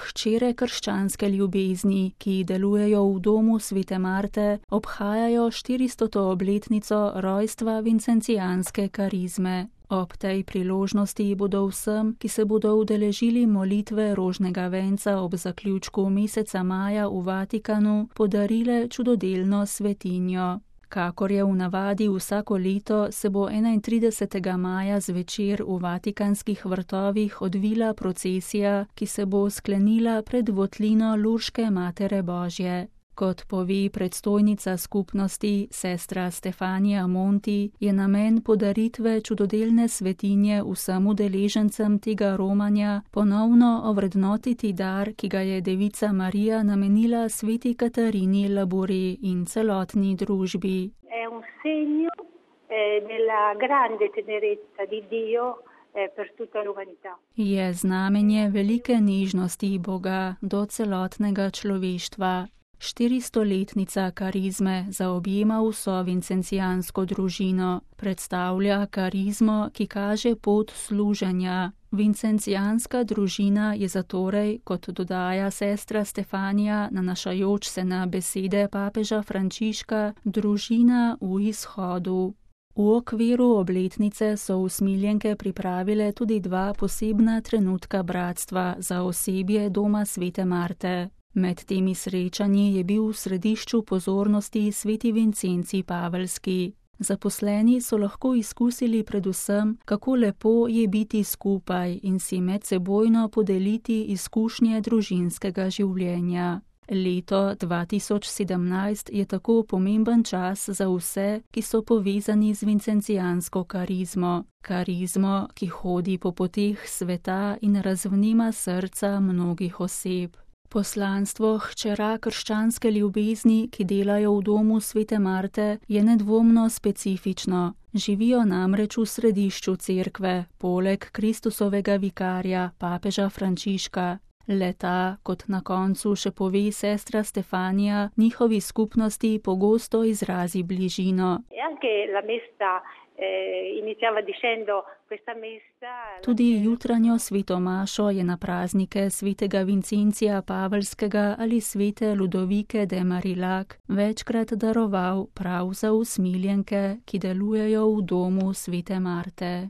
hčere krščanske ljubezni, ki delujejo v domu Svete Marte, obhajajo 400. obletnico rojstva vincencijanske karizme. Ob tej priložnosti bodo vsem, ki se bodo udeležili molitve rožnega venca ob zaključku meseca maja v Vatikanu, podarile čudodelno svetinjo. Kakor je v navadi vsako leto, se bo 31. maja zvečer v vatikanskih vrtovih odvila procesija, ki se bo sklenila pred votlino Lurške Matere Božje. Kot pove predstojnica skupnosti, sestra Stefanija Monti, je namen podaritve čudodelne svetinje vsem udeležencem tega romanja ponovno ovrednotiti dar, ki ga je Devica Marija namenila sveti Katarini Labore in celotni družbi. Je znamenje velike nežnosti Boga do celotnega človeštva. 400-letnica karizme zaobjema vso vincencijansko družino, predstavlja karizmo, ki kaže pot služenja. Vincencijanska družina je zatorej, kot dodaja sestra Stefanija, nanašajoč se na besede papeža Frančiška, družina v izhodu. V okviru obletnice so usmiljenke pripravile tudi 2 posebna trenutka bratstva za osebje doma Svete Marte. Med temi srečanji je bil v središču pozornosti sveti Vincencij Paveljski. Zaposleni so lahko izkusili predvsem, kako lepo je biti skupaj in si medsebojno podeliti izkušnje družinskega življenja. Leto 2017 je tako pomemben čas za vse, ki so povezani z vincencijansko karizmo. Karizmo, ki hodi po poteh sveta in razvnema srca mnogih oseb. Poslanstvo hčera krščanske ljubezni, ki delajo v domu Svete Marte, je nedvomno specifično. Živijo namreč v središču cerkve, poleg Kristusovega vikarja, papeža Frančiška. Le-ta, kot na koncu še pove sestra Stefanija, njihovi skupnosti pogosto izrazi bližino. Tudi jutranjo sveto mašo je na praznike svetega Vincencija Paveljskega ali svete Ludovike de Marillac večkrat daroval prav za usmiljenke, ki delujejo v domu Svete Marte.